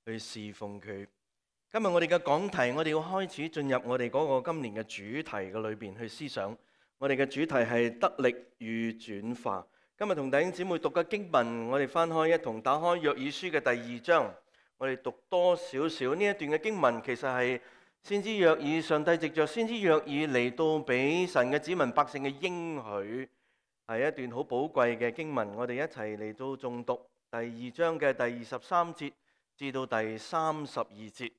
去侍奉佢。今日我哋嘅講題，我哋要開始進入我哋嗰個今年嘅主題嘅裏邊去思想。我哋嘅主題係得力與轉化。今日同弟兄姊妹讀嘅經文，我哋翻開一同打開約珥書嘅第2章，我哋讀多少少呢一段嘅經文，其實係先知約珥，上帝藉着先知約珥嚟到俾神嘅子民百姓嘅應許，係一段好寶貴嘅經文。我哋一齊嚟到誦讀第2章嘅第23節至到第32節。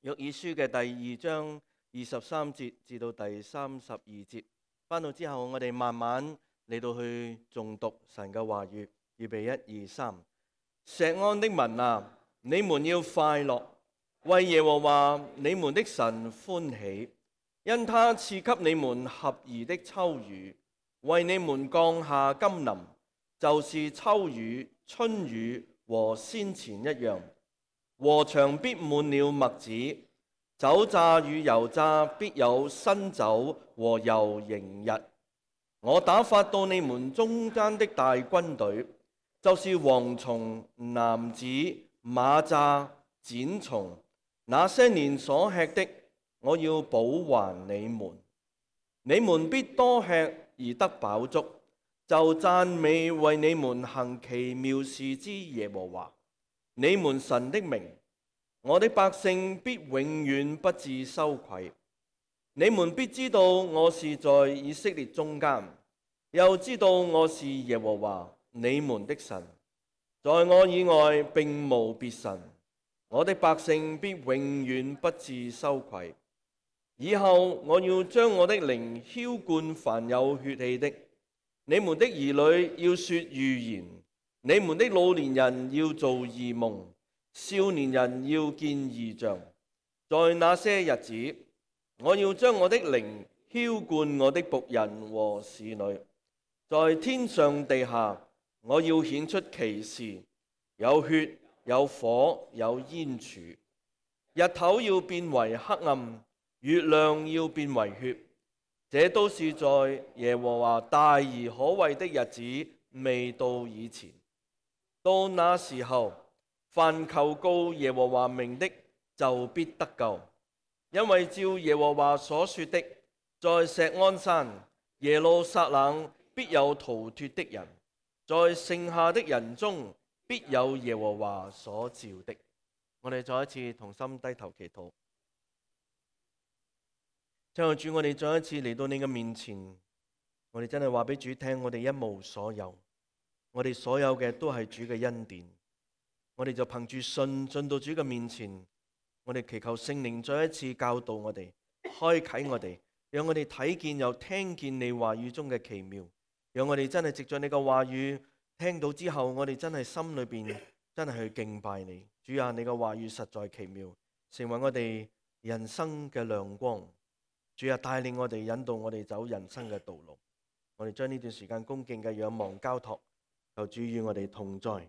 約珥書嘅第2章23節至到第32節，翻到之後我哋慢慢嚟到去誦讀神嘅話語。預備1、2、3。錫安的民啊，你們要快樂，為耶和華你們的神歡喜，因他賜給你們合宜的秋雨，為你們降下甘霖，就是秋雨、春雨和先前一樣。禾場必滿了麥子，酒榨與油榨必有新酒和油盈溢。我打發到你們中間的大軍隊，就是蝗蟲、蝻子、螞蚱、剪蟲，那些年所吃的，我要補還你們。你們必多吃而得飽足，就讚美為你們行奇妙事之耶和華你們神的名。我的百姓必永遠不致羞愧。你們必知道我是在以色列中間，又知道我是耶和華你們的神，在我以外並無別神。我的百姓必永遠不致羞愧。以後我要將我的靈澆灌凡有血氣的，你們的兒女要說預言，你們的老年人要做異夢，少年人要見異象。在那些日子，我要將我的靈澆灌我的僕人和使女，在天上地下，我要顯出奇事，有血，有火，有煙柱。日頭要變為黑暗，月亮要變為血。這都是在耶和華大而可畏的日子未到以前。到那時候，凡求告耶和華名的，就必得救。因為照耶和華所說的，在錫安山、耶路撒冷必有逃脱的人，在剩下的人中必有耶和華所召的。我哋再一次同心低頭祈禱。親愛的主，我哋再一次嚟到你嘅面前，我哋真係話俾主聽，我哋一無所有，我哋所有嘅都係主嘅恩典。我哋就憑住信進到主嘅面前，我哋祈求聖靈再一次教導我哋，開啟我哋，讓我哋睇見又聽見你話語中嘅奇妙，讓我哋真係藉着你嘅話語聽到之後，我哋真係心裏邊真係去敬拜你。主啊，你嘅話語實在奇妙，成為我哋人生嘅亮光。主啊，帶領我哋，引導我哋走人生嘅道路。我哋將呢段時間恭敬嘅仰望交託，求主與我哋同在，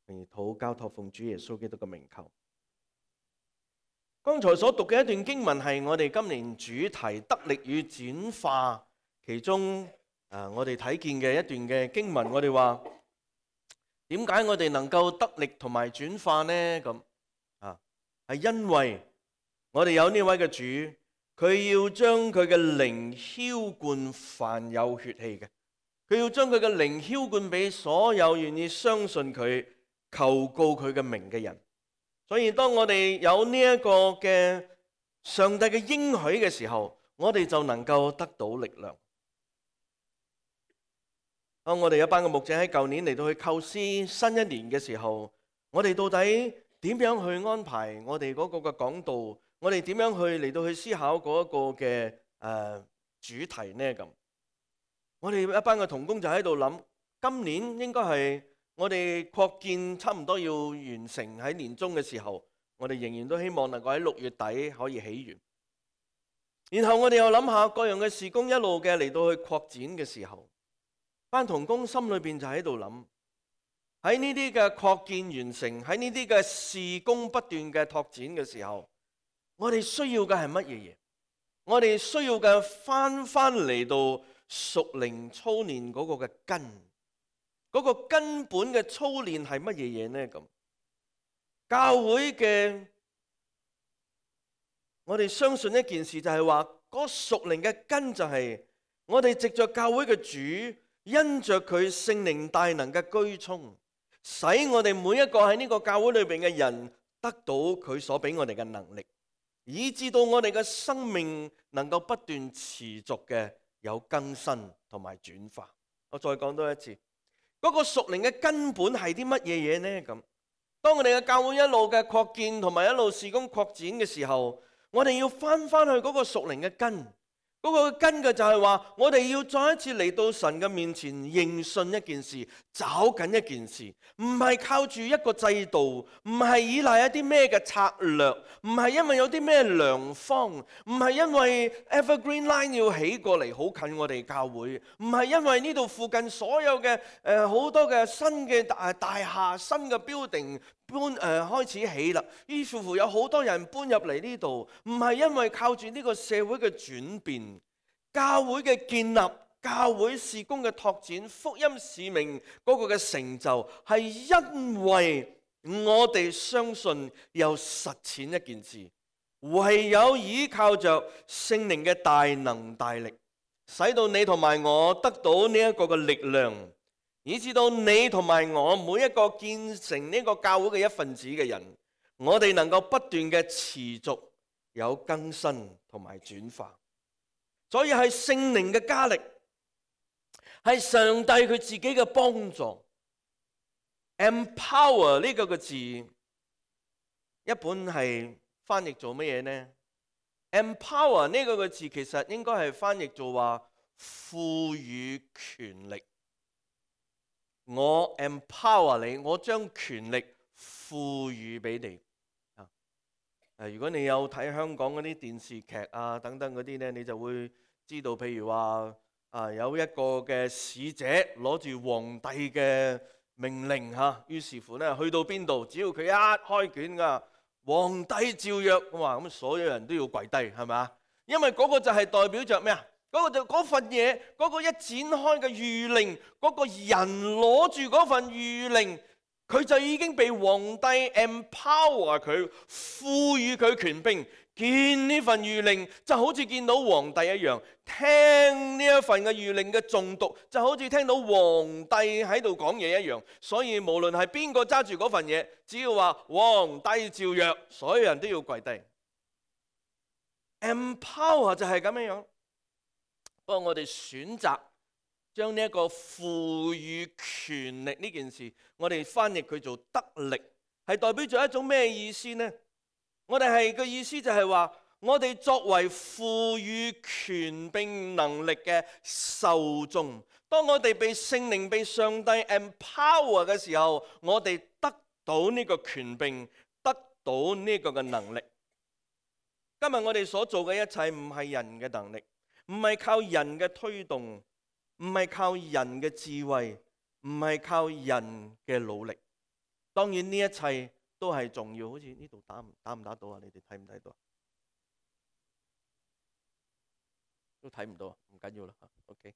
並禱交託奉主耶穌基督嘅名求。剛才所讀嘅一段經文係我哋今年主題得力與轉化其中我哋睇見嘅一段嘅經文。我哋話點解我哋能夠得力同埋轉化呢？咁係因為我哋有呢位嘅主。佢要將佢嘅靈澆灌凡有血氣嘅，佢要將佢嘅靈澆灌俾所有願意相信佢、求告佢嘅名嘅人。所以當我哋有呢一個嘅上帝嘅應許嘅時候，我哋就能夠得到力量。當我哋一班嘅牧者喺舊年嚟到去構思新一年嘅時候，我哋到底點樣去安排我哋嗰個嘅講道？我哋點樣去嚟到去思考嗰一個嘅主題呢？咁我哋一班嘅同工就喺度諗，今年應該係我哋擴建差唔多要完成喺年中嘅時候，我哋仍然都希望能夠喺6月底可以起完。然後我哋又諗下各樣嘅事工一路嘅嚟到去擴展嘅時候，班同工心裏邊就喺度諗，喺呢啲嘅擴建完成，喺呢啲嘅事工不斷嘅拓展嘅時候，我哋需要嘅係乜嘢嘢？我哋需要嘅翻嚟到屬靈操練嗰個嘅根，嗰個根本嘅操練係乜嘢嘢呢？咁教會嘅，我哋相信一件事就係話，嗰屬靈嘅根就係我哋藉着教會嘅主，因着佢聖靈大能嘅居充，使我哋每一個喺呢個教會裏邊嘅人得到佢所俾我哋嘅能力，以致到我哋嘅生命能夠不斷持續嘅有更新同埋轉化。我再講多一次，嗰個屬靈嘅根本係啲乜嘢嘢呢？咁當我哋嘅教會一路嘅擴建同埋一路事工擴展嘅時候，我哋要翻去嗰個屬靈嘅根。嗰個根嘅就係話，我哋要再一次嚟到神嘅面前認信一件事，找緊一件事，唔係靠住一個制度，唔係依賴一啲咩嘅策略，唔係因為有啲咩良方，唔係因為 Evergreen Line 要起過嚟好近我哋教會，唔係因為呢度附近所有嘅好多嘅新嘅大廈、新嘅 building 開始起啦，於是乎有好多人搬入嚟呢度，唔係因為靠住呢個社會嘅轉變，教會嘅建立、教會事工嘅拓展、福音使命嗰個嘅成就，係因為我哋相信又實踐一件事，唯有依靠着聖靈嘅大能大力，使到你同埋我得到呢一個嘅力量，以至到你同埋我每一個建成呢個教會嘅一份子嘅人，我哋能夠不斷嘅持續有更新同埋轉化。所以係聖靈嘅加力，係上帝佢自己嘅幫助。Empower 呢個字，一本係翻譯做乜嘢呢？ Empower 呢個字其實應該係翻譯做話賦予權力。我 empower 你，我將權力賦予俾你。如果你有睇香港嗰啲電視劇啊等等嗰啲呢，你就會知道，譬如話有一個嘅使者攞住皇帝嘅命令嚇，於是乎呢去到邊度，只要佢一開卷㗎，皇帝照約，咁所有人都要跪低，係咪啊？因為嗰個就係代表着咩啊？嗰份嘢，嗰個一展開嘅諭令，嗰個人攞住嗰份諭令，佢就已經被皇帝 empower 佢，賦予佢權柄。見呢份諭令就好似見到皇帝一樣，聽呢一份嘅諭令嘅誦讀就好似聽到皇帝喺度講嘢一樣。所以無論係邊個揸住嗰份嘢，只要話皇帝照約，所有人都要跪低。empower 就係咁樣。不過我哋選擇將呢一個賦予權力呢件事，我哋翻譯佢做得力，係代表咗一種咩意思呢？我哋係個意思就係話，我哋作為賦予權柄能力嘅受眾，當我哋被聖靈、被上帝 empower 嘅時候，我哋得到呢個權柄，得到呢個嘅能力。今日我哋所做嘅一切唔係人嘅能力，唔係靠人嘅推動，唔係靠人嘅智慧，唔係靠人嘅努力。當然呢一切都係重要。好似呢度打唔打到啊？你哋睇唔睇到啊？都睇唔到啊？唔緊要啦。OK，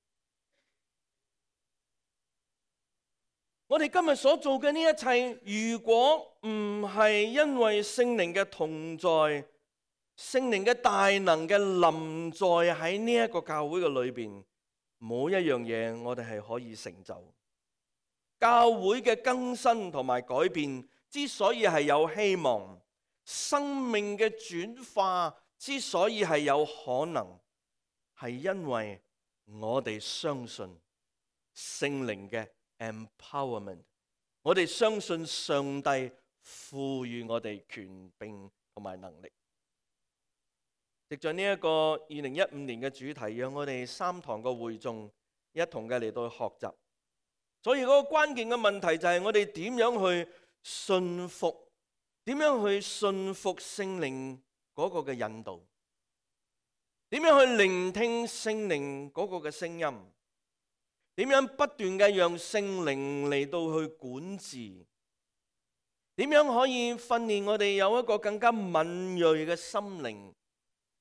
我哋今日所做嘅呢一切，如果唔係因為聖靈嘅同在，聖靈嘅大能嘅臨在喺呢一個教會嘅裏邊，冇一樣嘢我哋係可以成就。教會嘅更新同埋改變之所以係有希望，生命嘅轉化之所以係有可能，係因為我哋相信聖靈嘅 empowerment， 我哋相信上帝賦予我哋權柄同埋能力。藉着呢一個2015年嘅主題，讓我哋3堂嘅會眾一同嘅嚟到學習。所以嗰個關鍵嘅問題就係我哋點樣去信服，點樣去信服聖靈嗰個嘅引導，點樣去聆聽聖靈嗰個嘅聲音，點樣不斷嘅讓聖靈嚟到去管治，點樣可以訓練我哋有一個更加敏銳嘅心靈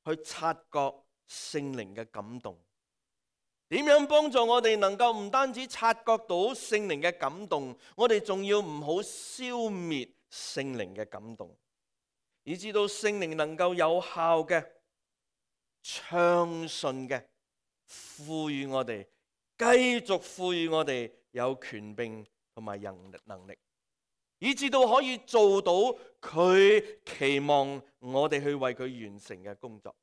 去察覺聖靈嘅感動，點樣幫助我哋能夠唔單止察覺到聖靈嘅感動，我哋仲要唔好消滅聖靈嘅感動，以至到聖靈能夠有效嘅、暢順嘅賦予我哋，繼續賦予我哋有權柄同埋能力，以至到可以做到佢期望我哋去為佢完成嘅工作。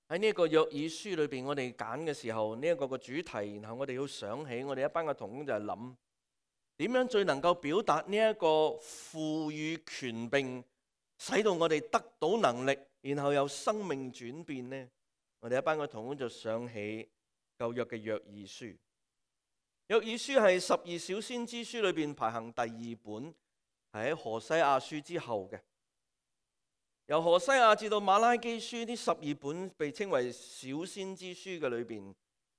喺呢一個約珥書裏邊，我哋揀嘅時候，呢一個嘅主題，然後我哋要想起我哋一班嘅同工就係諗點樣最能夠表達呢一個賦予權柄，使到我哋得到能力，然後有生命轉變呢？我哋一班嘅同工就想起舊約嘅約珥書。約珥書係12小先知書裏邊排行第2本，係喺何西阿書之後嘅。由何西阿至到馬拉基書呢12本被稱為小先知書嘅裏邊，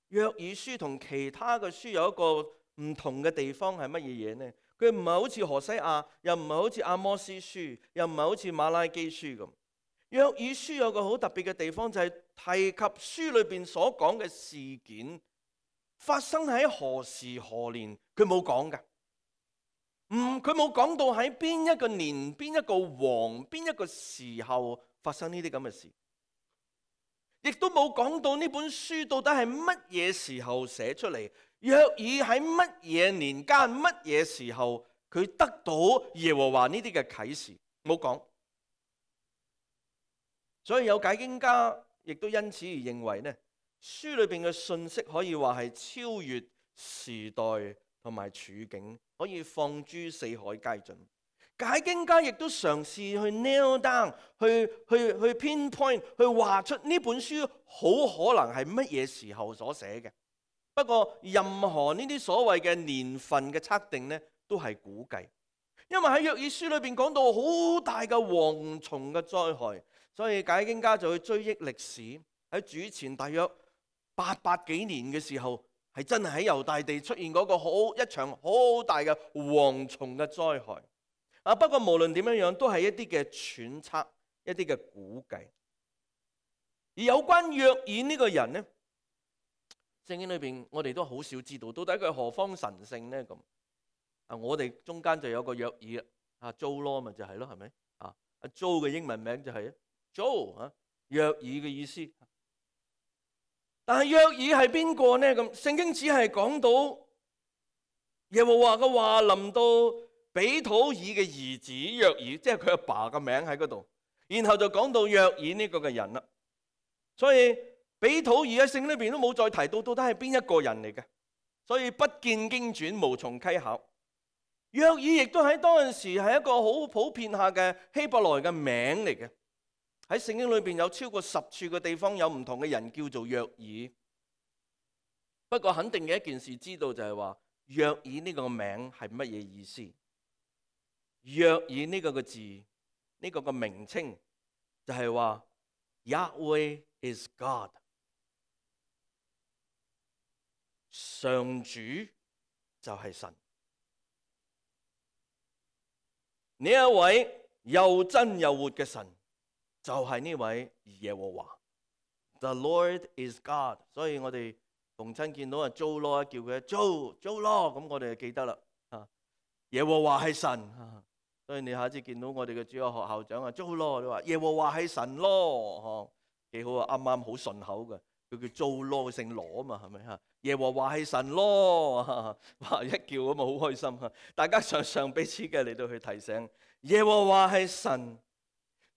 約珥書同其他嘅書有一個唔同嘅地方係乜嘢嘢呢？佢唔係好似何西阿，又唔係好似阿摩司書，又唔係好似馬拉基書咁。約珥書有個好特別嘅地方，就係提及書裏邊所講嘅事件發生喺何時何年，佢冇講㗎。佢冇講到喺邊一個年、邊一個王、邊一個時候發生呢啲咁嘅事，亦都冇講到呢本書到底係乜嘢時候寫出嚟。約珥喺乜嘢年間、乜嘢時候佢得到耶和華呢啲嘅啟示，冇講。所以有解經家亦都因此而認為呢，書裏邊嘅信息可以話係超越時代同埋處境，可以放諸四海皆準。解經家亦都嘗試去 nail down， 去 pinpoint， 去畫出呢本書好可能係乜嘢時候所寫嘅。不過任何呢啲所謂嘅年份嘅測定呢，都係估計，因為喺約珥書裏邊講到好大嘅蝗蟲嘅災害，所以解經家就去追憶歷史，喺主前大約800幾年嘅時候，係真係喺猶大地出現嗰個一場好大嘅蝗蟲嘅災害。不過無論點樣樣，都係一啲嘅揣測，一啲嘅估計。而有關約珥呢個人呢，聖經裏邊我哋都好少知道，到底佢何方神聖呢？咁我哋中間就有個約珥啊，Joe 咪就係咯，係咪啊？Joe 嘅英文名就係 Joe 約珥嘅意思。但係約珥係邊個呢？咁聖經只係講到耶和華嘅話臨到比土爾嘅兒子約珥，即係佢阿爸嘅名喺嗰度，然後就講到約珥呢個嘅人啦。所以比土爾喺聖經裏邊都冇再提到到底係邊一個人嚟嘅，所以不見經傳，無從稽考。約珥亦都喺當陣時係一個好普遍下嘅希伯來嘅名嚟嘅。喺聖經裏邊有超過10處嘅地方有唔同嘅人叫做約珥。不過肯定嘅一件事知道就係話約珥呢個名係乜嘢意思？約珥呢個嘅字，呢個嘅名稱就係話 Yahweh is God， 上主就係神。呢一位又真又活嘅神就係呢位耶和華。The Lord is God。所以我哋逢親見到Joe Law，叫佢Joe Law，咁我哋就記得啦。耶和華係神。所以你下次見到我哋嘅主日學校長Joe Law，你話耶和華係神咯，幾好啊，啱啱好順口嘅。佢叫Joe Law，姓羅啊嘛，係咪啊？耶和華係神咯，哇！一叫咁啊，好開心。大家常彼此嘅嚟到去提醒，耶和華係神，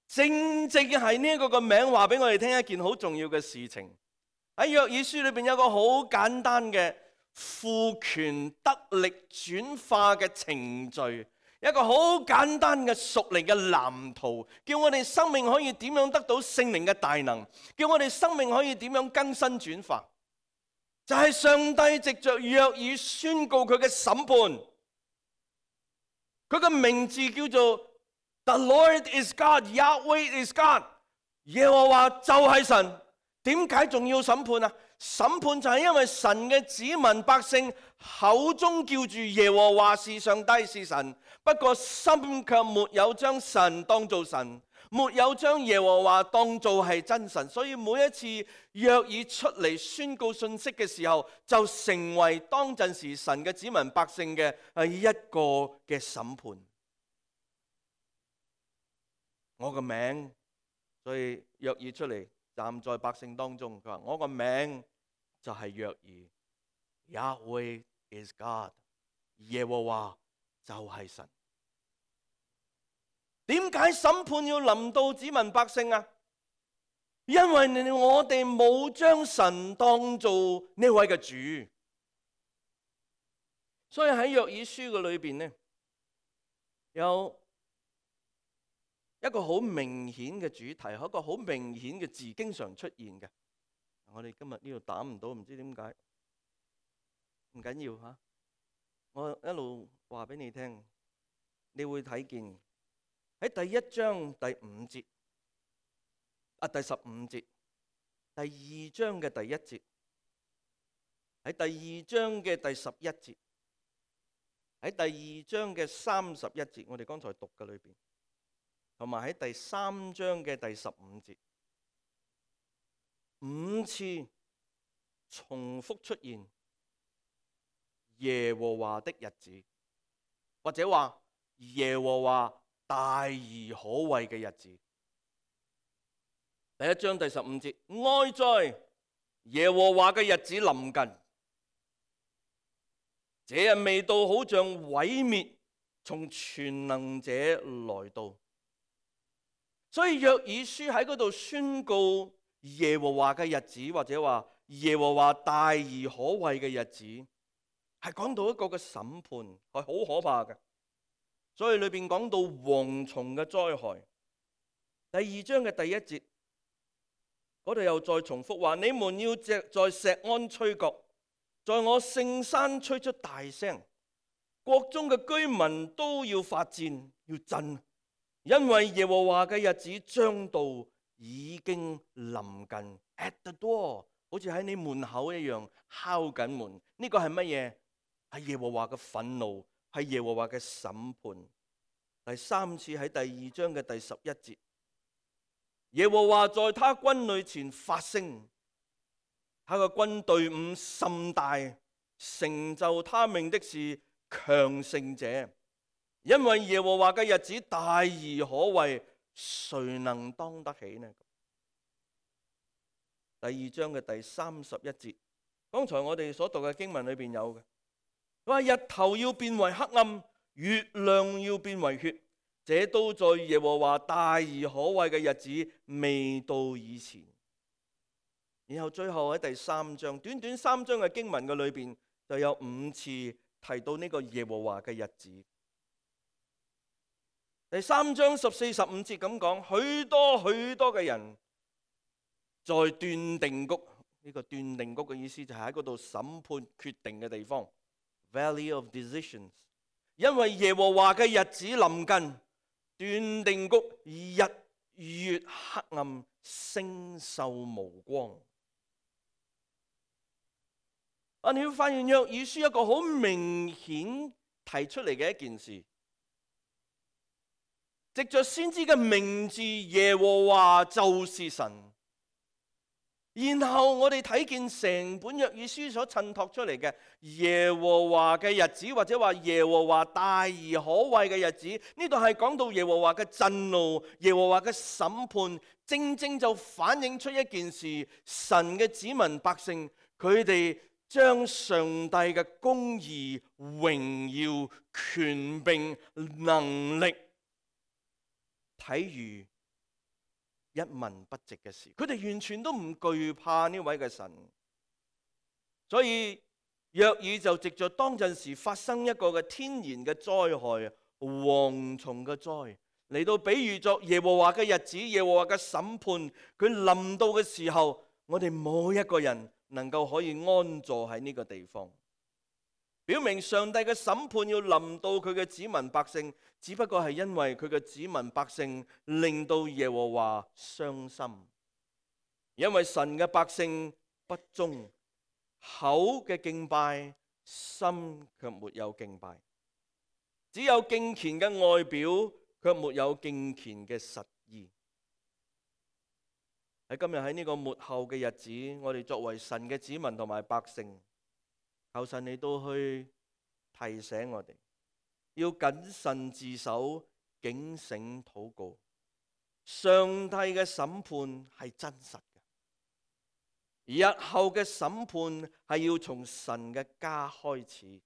正正係呢一個個名話俾我哋聽一件好重要嘅事情。喺約珥書裏邊有個好簡單嘅賦權得力轉化嘅程序。一個好簡單嘅屬靈嘅藍圖，叫我哋生命可以點樣得到聖靈嘅大能，叫我哋生命可以點樣更新轉化，就係上帝藉着約珥宣告佢嘅審判。佢嘅名字叫做 The Lord is God， Yahweh is God， 耶和華就係神。點解仲要審判啊？審判就係因為神嘅子民百姓口中叫住耶和華是上帝是神，不過心卻沒有將神當做神，沒有將耶和華當做係真神，所以每一次約珥出嚟宣告信息嘅時候，就成為當陣時神嘅子民百姓嘅一個嘅審判。我個名，所以約珥出嚟站在百姓當中，佢話我個名就係約珥。Yahweh is God， 耶和華就係神。點解審判要臨到子民百姓啊？因為我哋冇將神當做呢位嘅主。所以喺約珥書嘅裏邊呢，有一個好明顯嘅主題，一個好明顯嘅字，經常出現嘅。我哋今日呢度打唔到，唔知點解。唔緊要吓，我一路話俾你聽，你會睇見喺第一章第5節，第15節，第2章嘅第1節，喺第2章嘅第11節，喺第2章嘅31節，我哋剛才讀嘅裏邊，同埋喺第3章嘅第15節，5次重複出現耶和華的日子，或者話耶和華大而可畏嘅日子。第一章第15節，哀哉，耶和華嘅日子臨近，這日未到，好像毀滅從全能者來到。所以約珥書喺嗰度宣告耶和華嘅日子，或者話耶和華大而可畏嘅日子，係講到一個嘅審判，係好可怕嘅。所以裏邊講到蝗蟲嘅災害。第2章嘅第1節嗰度又再重複話：你們要在錫安吹角，在我聖山吹出大聲，國中嘅居民都要發戰，要震，因為耶和華嘅日子將到，已經臨近。At the door， 好似喺你門口一樣敲緊門。呢個係乜嘢？係耶和華嘅憤怒，係耶和華嘅審判。第3次喺第2章嘅第11節，耶和華在他軍旅前發聲，他嘅軍隊伍甚大，成就他命的是強盛者，因為耶和華嘅日子大而可畏，誰能當得起呢？第2章嘅第31節，剛才我哋所讀嘅經文裏邊有嘅，佢話日頭要變為黑暗，月亮要變為血，這都在耶和華大而可畏嘅日子未到以前。然後最後喺第3章，短短3章嘅經文嘅裏邊就有5次提到呢個耶和華嘅日子。第3章14、15節咁講，許多許多嘅人在斷定谷，呢個斷定谷嘅意思就係喺嗰度審判決定嘅地方 ，Valley of Decisions。因為耶和華嘅日子臨近，斷定谷日月黑暗，星宿無光。你會發現約珥書一個好明顯提出嚟嘅一件事，藉着先知嘅名字耶和華就是神。然後我哋睇見成本約珥書所襯托出嚟嘅耶和華嘅日子，或者話耶和華大而可畏嘅日子，呢度係講到耶和華嘅震怒、耶和華嘅審判，正正就反映出一件事：神嘅子民百姓，佢哋將上帝嘅公義、榮耀、權柄、能力睇如一文不值嘅事，佢哋完全都唔懼怕呢位嘅神。所以約珥就藉着當陣時發生一個嘅天然嘅災害，蝗蟲嘅災，嚟到比喻作耶和華嘅日子、耶和華嘅審判，佢臨到嘅時候，我哋冇一個人能夠可以安坐喺呢個地方，表明上帝嘅審判要臨到佢嘅子民百姓，只不過係因為佢嘅子民百姓令到耶和華傷心，因為神嘅百姓不忠，口嘅敬拜，心卻沒有敬拜，只有敬虔嘅外表，卻沒有敬虔嘅實意。喺今日喺呢個末後嘅日子，我哋作為神嘅子民同埋百姓，求神你都去提醒我哋，要謹慎自守，警醒禱告。上帝嘅審判係真實嘅，日後嘅審判係要從神嘅家開始。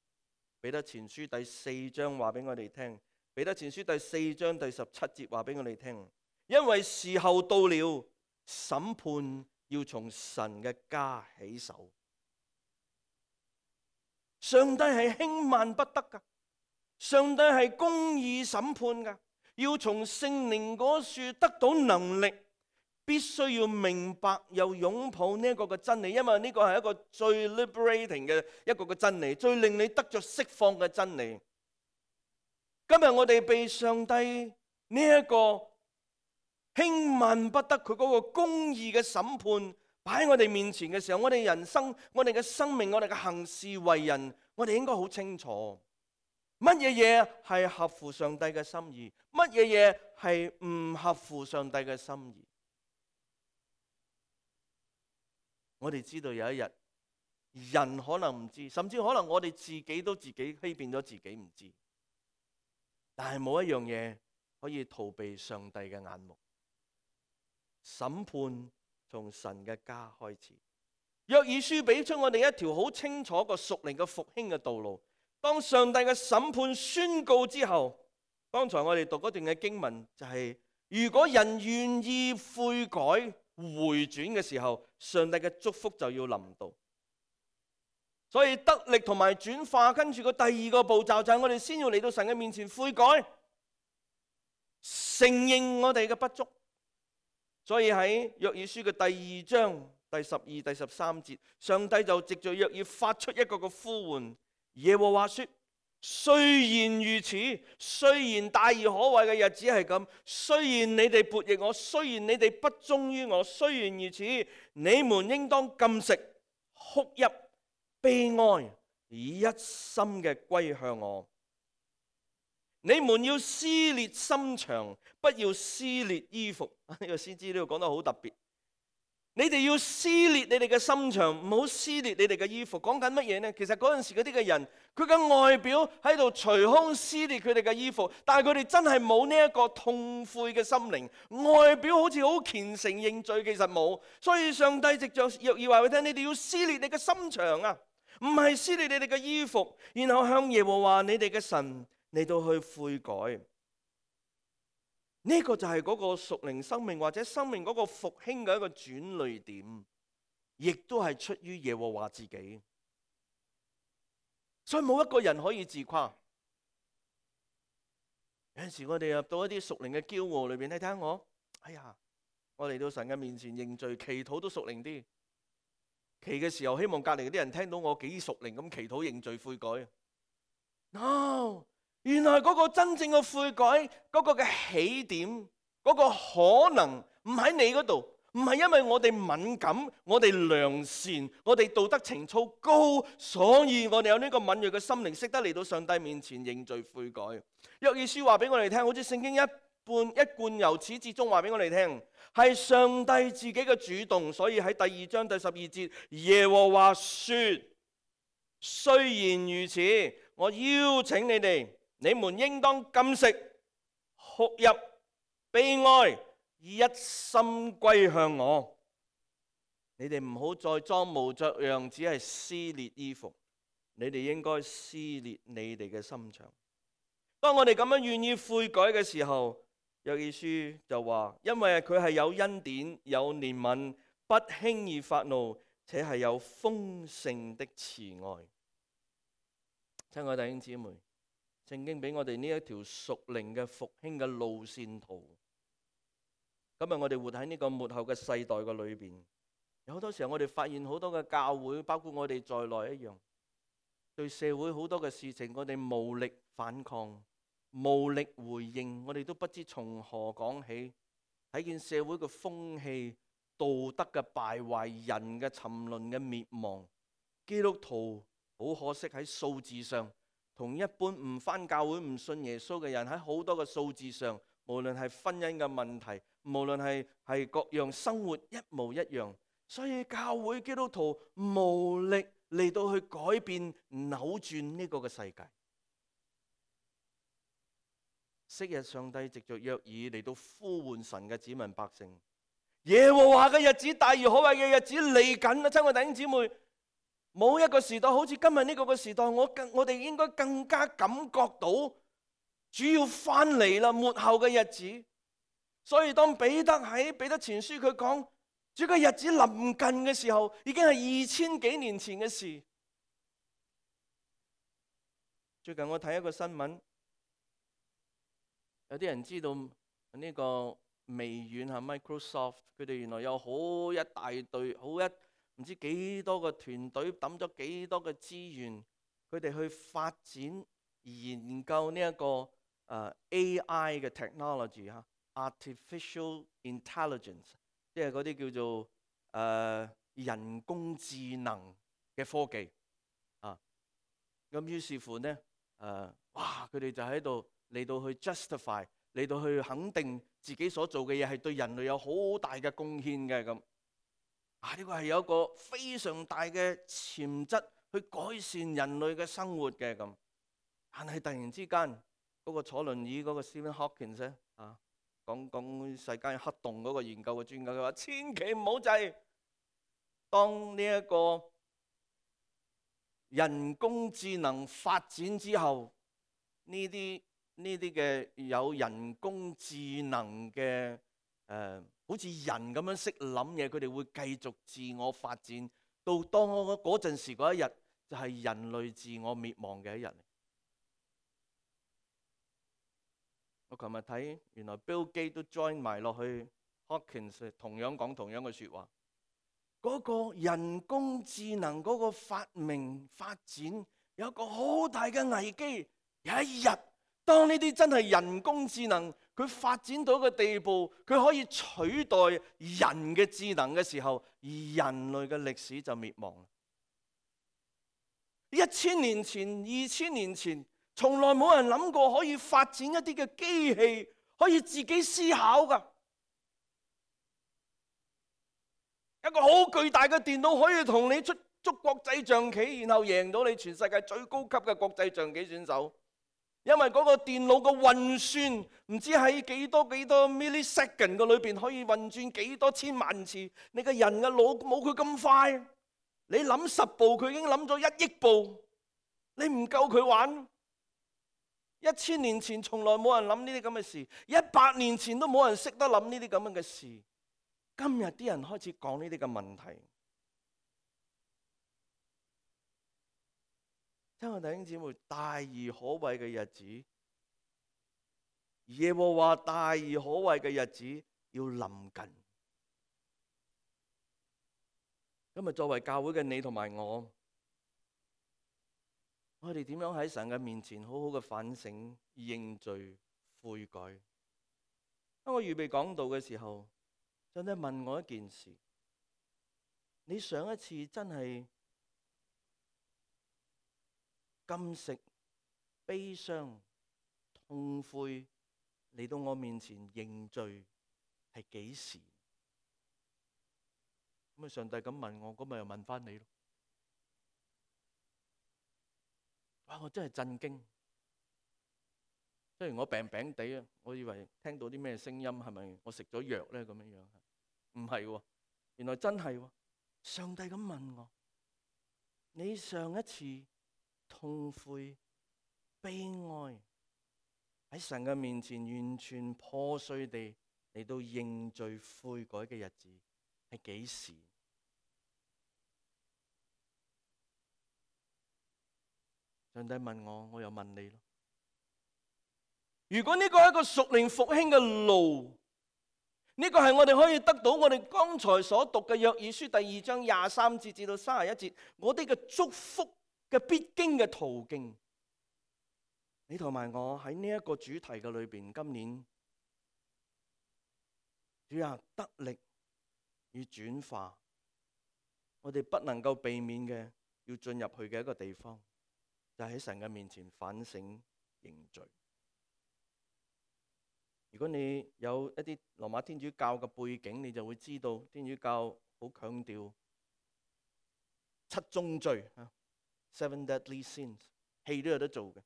彼得前書第4章話俾我哋聽，彼得前書第4章第17節話俾我哋聽，因為時候到了，審判要從神嘅家起手。上帝係輕慢不得噶，上帝係公義審判噶，要從聖靈嗰處得到能力，必須要明白又擁抱呢一個嘅真理，因為呢個係一個最 liberating 嘅一個嘅真理，最令你得着釋放嘅真理。今日我哋被上帝呢一個輕慢不得佢嗰個公義嘅審判擺喺我哋面前嘅時候，我哋人生、我哋嘅生命、我哋嘅行事為人，我哋應該好清楚乜嘢嘢係合乎上帝嘅心意，乜嘢嘢係唔合乎上帝嘅心意。我哋知道有一日，人可能唔知，甚至可能我哋自己都自己欺騙咗自己唔知。但係冇一樣嘢可以逃避上帝嘅眼目。審判從神嘅家開始。約珥書俾出我哋一條好清楚個屬靈嘅復興嘅道路。當上帝嘅審判宣告之後，剛才我哋讀嗰段嘅經文就係，如果人願意悔改回轉嘅時候，上帝嘅祝福就要臨到。所以得力同埋轉化，跟住個第二個步驟就係我哋先要嚟到神嘅面前悔改，承認我哋嘅不足。所以喺約珥書嘅第2章第12、第13節，上帝就藉着約珥發出一個嘅呼喚。耶和華說：雖然如此，雖然大而可畏嘅日子係咁，雖然你哋悖逆我，雖然你哋不忠於我，雖然如此，你們應當禁食、哭泣、悲哀，以一心嘅歸向我。你們要撕裂心腸，不要撕裂衣服。呢個先知呢度講得好特別。你哋要撕裂你哋嘅心腸，唔好撕裂你哋嘅衣服。講緊乜嘢呢？其實嗰陣時嗰啲嘅人，佢嘅外表喺度捶胸撕裂佢哋嘅衣服，但係佢哋真係冇呢一個痛悔嘅心靈，外表好似好虔誠認罪，其實冇。所以上帝藉着約珥話俾佢聽，你哋要撕裂你嘅心腸啊，唔係撕裂你哋嘅衣服，然後向耶和華你哋嘅神嚟到去悔改。呢個就係嗰個屬靈生命或者生命嗰個復興嘅一個轉捩點，亦都係出於耶和華自己。所以冇一個人可以自誇。有陣時我哋入到一啲屬靈嘅驕傲裏邊，你睇下我，哎呀，我嚟到神嘅面前認罪，祈禱都屬靈啲。祈嘅時候，希望隔籬嗰啲人聽到我幾屬靈咁祈禱認罪悔改。No。原來嗰個真正嘅悔改，嗰個嘅起點，嗰個可能唔喺你嗰度，唔係因為我哋敏感、我哋良善、我哋道德情操高，所以我哋有呢個敏銳嘅心靈，識得嚟到上帝面前認罪悔改。約珥書話俾我哋聽，好似聖經一貫由始至終話俾我哋聽，係上帝自己嘅主動。所以喺第2章第12節，耶和華說：雖然如此，我邀請你哋。你們應當禁食、哭泣、悲哀，以一心歸向我。你哋唔好再裝模作樣，只係撕裂衣服。你哋應該撕裂你哋嘅心腸。當我哋咁樣願意悔改嘅時候，約珥書就話，因為佢係有恩典、有憐憫，不輕易發怒，且係有豐盛的慈愛。親愛弟兄姊妹，聖經俾我哋呢一條屬靈嘅復興嘅路線圖。今日我哋活喺呢個末後嘅世代嘅裏邊，有好多時候我哋發現好多嘅教會，包括我哋在內一樣，對社會好多嘅事情，我哋無力反抗，無力回應，我哋都不知從何講起。睇見社會嘅風氣、道德嘅敗壞、人嘅沉淪嘅滅亡，基督徒好可惜喺數字上，同一般唔返教會、唔信耶穌嘅人喺好多嘅數字上，無論係婚姻嘅問題，無論係各樣生活一模一樣。所以教會基督徒無力嚟到去改變扭轉呢個嘅世界。昔日上帝藉着約珥嚟到呼喚神嘅子民百姓，耶和華嘅日子，大而可畏嘅日子嚟緊啦！親愛弟兄姊妹，冇一個時代好似今日呢個嘅時代，我哋應該更加感覺到主要翻嚟啦，末後嘅日子。所以當彼得喺彼得前書佢講主嘅日子臨近嘅時候，已經係2000幾年前嘅事。最近我睇一個新聞，有啲人知道呢個微軟係 Microsoft， 佢哋原來有好一大隊，唔知幾多個團隊抌咗幾多個資源，佢哋去發展研究呢一個AI 嘅 technology 嚇 ，artificial intelligence， 即係嗰啲叫做人工智能嘅科技啊。咁於是乎呢，哇！佢哋就喺度嚟到去 justify， 嚟到去肯定自己所做嘅嘢係對人類有好大嘅貢獻嘅咁。呢個係有一個非常大嘅潛質去改善人類嘅生活嘅咁。但係突然之間，嗰個坐輪椅嗰個 Stephen Hawking 咧講世界黑洞嗰個研究嘅專家，佢話千祈唔好制，當呢一個人工智能發展之後，呢啲嘅有人工智能嘅好似人咁樣識諗嘢，佢哋會繼續自我發展，到當嗰陣時嗰一日就係人類自我滅亡嘅一日。我琴日睇，原來 Bill Gates 都 join 埋落去 Hawkins， 同樣講同樣嘅説話。嗰個人工智能嗰個發明發展有一個好大嘅危機。有一日，當呢啲真係人工智能佢發展到一個地步，佢可以取代人嘅智能嘅時候，而人類嘅歷史就滅亡。1000年前、2000年前，從來冇人諗過可以發展一啲嘅機器可以自己思考㗎。一個好巨大嘅電腦可以同你捉國際象棋，然後贏到你全世界最高級嘅國際象棋選手。因為嗰個電腦嘅運算唔知喺幾多 millisecond 嘅裏邊可以運轉幾多千萬次。你個人嘅腦冇佢咁快，你諗10步佢已經諗咗1億步，你唔夠佢玩。1000年前從來冇人諗呢啲咁嘅事，100年前都冇人識得諗呢啲咁樣嘅事。今日啲人開始講呢啲嘅問題。親愛弟兄姊妹，大而可畏嘅日子，耶和華大而可畏嘅日子要臨近。今日作為教會嘅你同埋我哋點樣喺神嘅面前好好嘅反省、認罪、悔改？當我預備講道嘅時候，上帝問我一件事：你上一次真係禁食、悲傷、痛悔嚟到我面前認罪係幾時？咁上帝咁問我，咁咪又問翻你咯。哇！我真係震驚。雖然我病病地啊，我以為聽到啲咩聲音，係咪我食咗藥咧？咁樣樣唔係喎，原來真係喎。上帝咁問我：你上一次痛悔、悲哀喺神嘅面前完全破碎地嚟到認罪悔改嘅日子係幾時？上帝問我，我又問你咯。如果呢個係一個屬靈復興嘅路，呢個係我哋可以得到我哋剛才所讀嘅約珥書第2章23節至到31節，我哋嘅祝福嘅必經嘅途徑。你同埋我喺呢一個主題嘅裏邊，今年主啊，得力與轉化，我哋不能夠避免嘅要進入去嘅一個地方，就喺神嘅面前反省認罪。如果你有一啲羅馬天主教嘅背景，你就會知道天主教好強調七宗罪啊 ，Seven Deadly Sins， 戲都有得做嘅。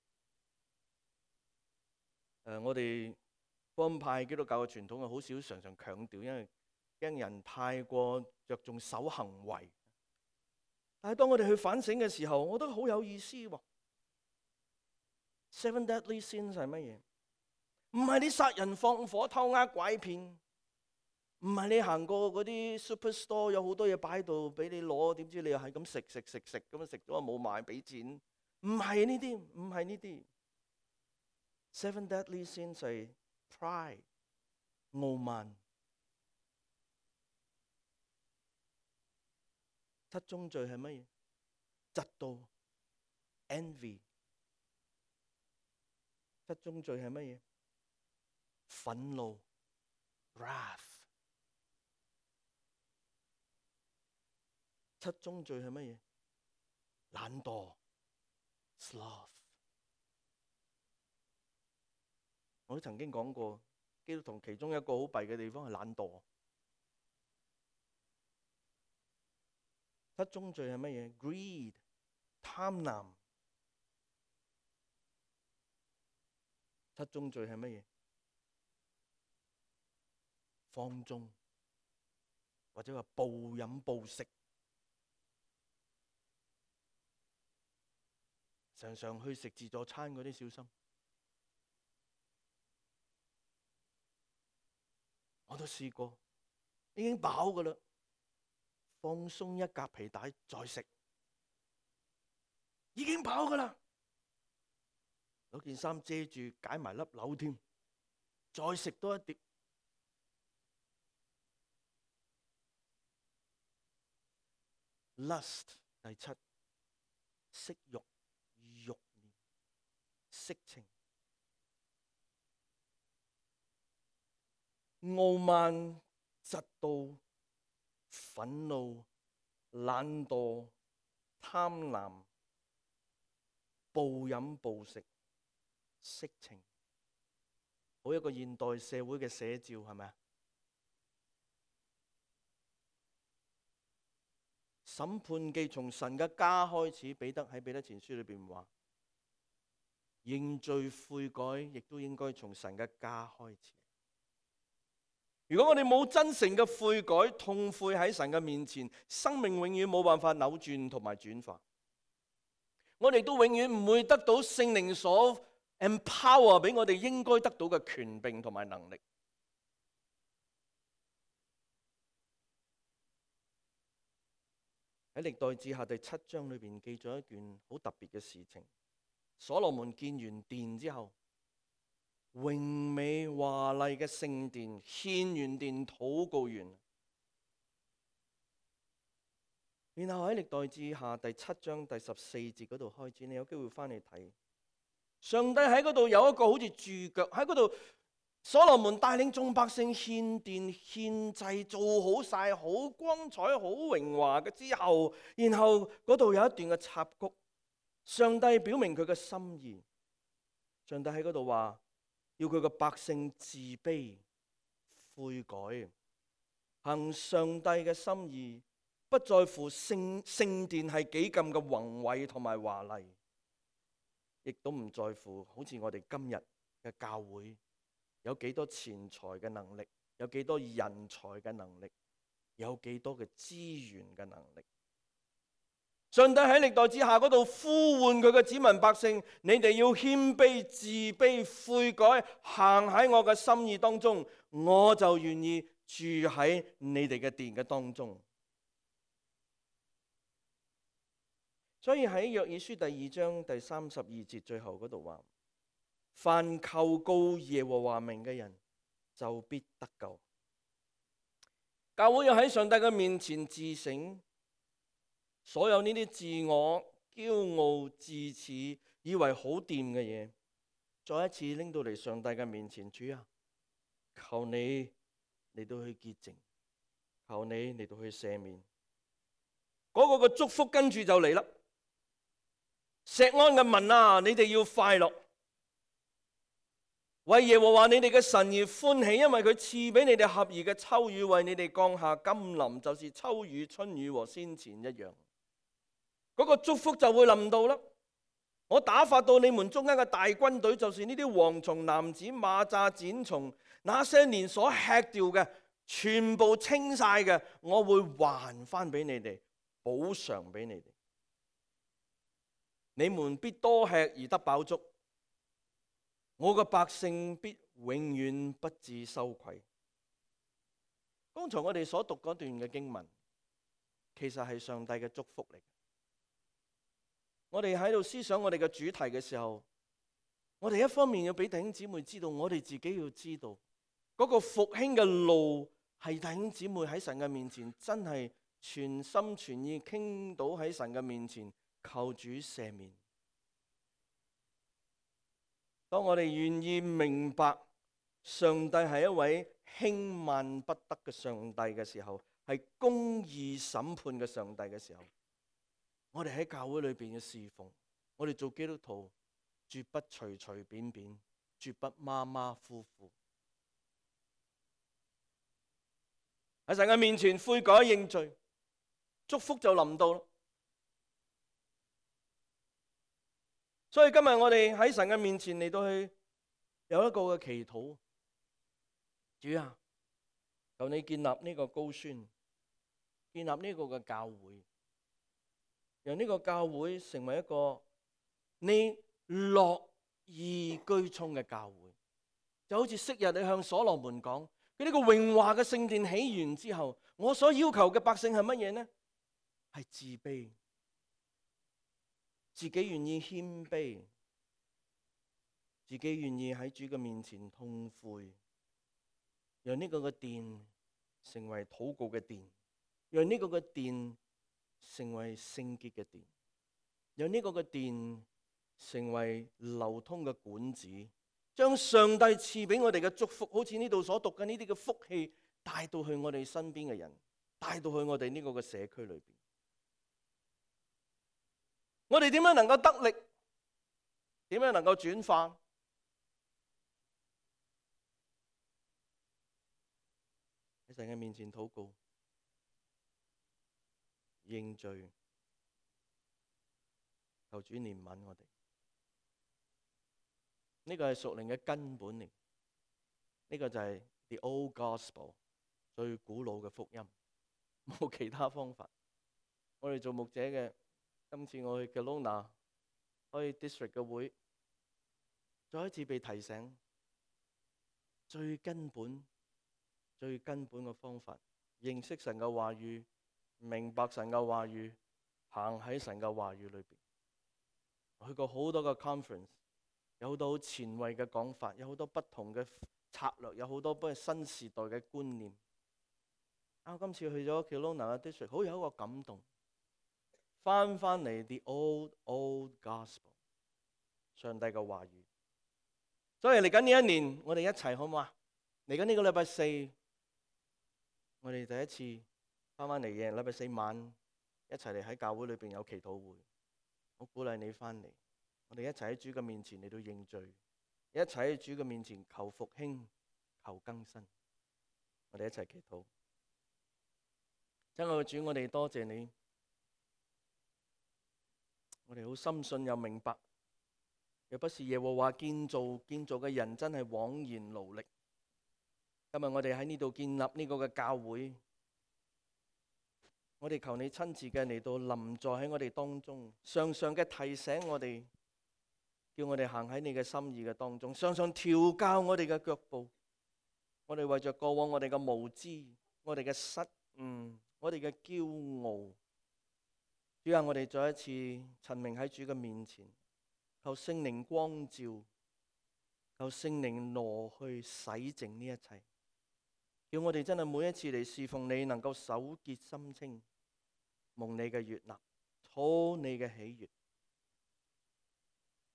我哋福音派基督教嘅傳統係好少常常強調，因為驚人太過着重守行為。但係當我哋去反省嘅時候，我覺得好有意思喎。Seven Deadly Sins 係乜嘢？唔係你殺人放火偷呃拐騙，唔係你行過嗰啲 superstore 有好多嘢擺喺度俾你攞，點知你又係咁食咁樣食咗冇買俾錢？唔係呢啲，唔係呢啲。Seven Deadly Sins 係 pride 傲慢。七宗罪係乜嘢？嫉妒 envy。七宗罪係乜嘢？憤怒 wrath。七宗罪係乜嘢？懶惰 sloth。我都曾經講過，基督徒其中一個好弊嘅地方係懶惰。七宗罪係乜嘢？ greed 貪婪。七宗罪係乜嘢？放縱，或者話暴飲暴食，常常去食自助餐嗰啲小心。我都試過，已經飽㗎喇，放鬆一格皮帶再食，已經飽㗎喇，攞件衫遮住，解埋粒紐添，再食多一碟。Lust 第七，色欲、慾念、色情。傲慢、嫉妒、憤怒、懶惰、貪婪、暴飲暴食、色情，好一個現代社會嘅寫照，係咪啊？審判既從神嘅家開始，彼得喺彼得前書裏邊話，認罪悔改亦都應該從神嘅家開始。如果我哋冇真誠嘅悔改、痛悔喺神嘅面前，生命永遠冇辦法扭轉同埋轉化。我哋都永遠唔會得到聖靈所 empower 俾我哋應該得到嘅權柄同埋能力。喺歷代志下第7章裏邊記咗一件好特別嘅事情。所羅門建完殿之後，榮美華麗嘅聖殿，獻完殿禱告完，然後喺歷代志下第7章第14節嗰度開始，你有機會翻嚟睇。上帝喺嗰度有一個好似駐腳喺嗰度，所羅門帶領眾百姓獻殿獻祭，做好晒，好光彩好榮華嘅之後，然後嗰度有一段嘅插曲，上帝表明佢嘅心意。上帝喺嗰度話要佢嘅百姓自卑悔改，行上帝嘅心意，不在乎聖殿係幾咁嘅宏偉同埋華麗，亦都唔在乎好似我哋今日嘅教會有幾多錢財嘅能力，有幾多人才嘅能力，有幾多嘅資源嘅能力。上帝喺歷代志下嗰度呼喚佢嘅子民百姓，你哋要謙卑自卑悔改，行喺我嘅心意當中，我就願意住喺你哋嘅殿嘅當中。所以喺約珥書第2章第32節最後嗰度話，凡求告耶和華名嘅人就必得救。教會要喺上帝嘅面前自省，所有呢啲自我、驕傲、自恃、以為好掂嘅嘢，再一次拎到嚟上帝嘅面前，主啊，求你嚟到去潔淨，求你嚟到去赦免。嗰個嘅祝福跟住就嚟啦。錫安嘅民啊，你哋要快樂；為耶和華你哋嘅神而歡喜，因為佢賜俾你哋合宜嘅秋雨，為你哋降下甘霖，就是秋雨、春雨和先前一樣。嗰個祝福就會臨到啦。我打發到你們中間嘅大軍隊，就是呢啲蝗蟲、蝻子、螞蚱、剪蟲，那些年所吃掉嘅，全部清晒嘅，我會還翻俾你哋，補償俾你哋。你們必多吃而得飽足，我嘅百姓必永遠不致羞愧。剛才我哋所讀嗰段嘅經文，其實係上帝嘅祝福嚟。我哋喺度思想我哋嘅主題嘅時候，我哋一方面要俾弟兄姊妹知道，我哋自己要知道嗰個復興嘅路係弟兄姊妹喺神嘅面前真係全心全意傾倒喺神嘅面前求主赦免。當我哋願意明白上帝係一位輕慢不得嘅上帝嘅時候，係公義審判嘅上帝嘅時候，我哋喺教會裏邊嘅侍奉，我哋做基督徒絕不隨隨便便，絕不馬馬虎虎，喺神嘅面前悔改認罪，祝福就臨到。所以今日我哋喺神嘅面前嚟到去有一個嘅祈禱，主啊，求你建立呢個高宣，建立呢個嘅教會，讓呢個教會成為一個你樂意居充嘅教會。就好似昔日你向所羅門講，佢呢個榮華嘅聖殿起完之後，我所要求嘅百姓係乜嘢呢？係自卑，自己願意謙卑，自己願意喺主嘅面前痛悔，讓呢個嘅殿成為禱告嘅殿，讓呢個嘅殿成為聖潔嘅殿，讓呢個嘅殿成為流通嘅管子，將上帝賜俾我哋嘅祝福，好似呢度所讀嘅呢啲嘅福氣，帶到去我哋身邊嘅人，帶到去我哋呢個嘅社區裏邊。我哋點樣能夠得力？點樣能夠轉化？喺神嘅面前禱告、認罪、求主憐憫我哋。呢個係屬靈嘅根本嚟。呢個就係 the old gospel 最古老嘅福音，冇其他方法。我哋做牧者嘅，今次我去 Kelowna 開 district 嘅會，再一次被提醒最根本嘅方法，認識神嘅話語，明白神嘅話語，行喺神嘅話語裏邊。我去過好多個 conference， 有好多好前衛嘅講法，有好多不同嘅策略，有好多不新時代嘅觀念。我今次去咗 Kelowna 嘅 district， 好有一個感動。翻嚟 the old gospel， 上帝嘅話語。所以嚟緊呢一年，我哋一齊好唔好啊？嚟緊呢個禮拜四，我哋第一次翻嚟嘅禮拜四晚，一齊嚟喺教會裏邊有祈禱會。我鼓勵你翻嚟，我哋一齊喺主嘅面前嚟到認罪，一齊喺主嘅面前求復興、求更新。我哋一齊祈禱。親愛嘅主，我哋多謝你。我哋好深信又明白，若不是耶和華建造嘅人真係枉然勞力。今日我哋喺呢度建立呢個嘅教會，我哋求你親自嘅嚟到臨在喺我哋當中，常常嘅提醒我哋，叫我哋行喺你嘅心意嘅當中，常常調教我哋嘅腳步。我哋為着過往我哋嘅無知、我哋嘅失誤、我哋嘅驕傲，主啊，我哋再一次陳明喺主嘅面前，求聖靈光照，求聖靈挪去洗淨呢一切，叫我哋真係每一次嚟侍奉你，能夠手潔心清，蒙你嘅悅納，討你嘅喜悅，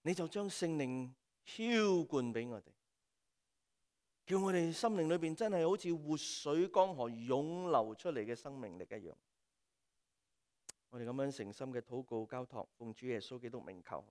你就將聖靈澆灌俾我哋，叫我哋心靈裏邊真係好似活水江河湧流出嚟嘅生命力一樣。我哋咁樣誠心嘅禱告交託，奉主耶穌基督名求。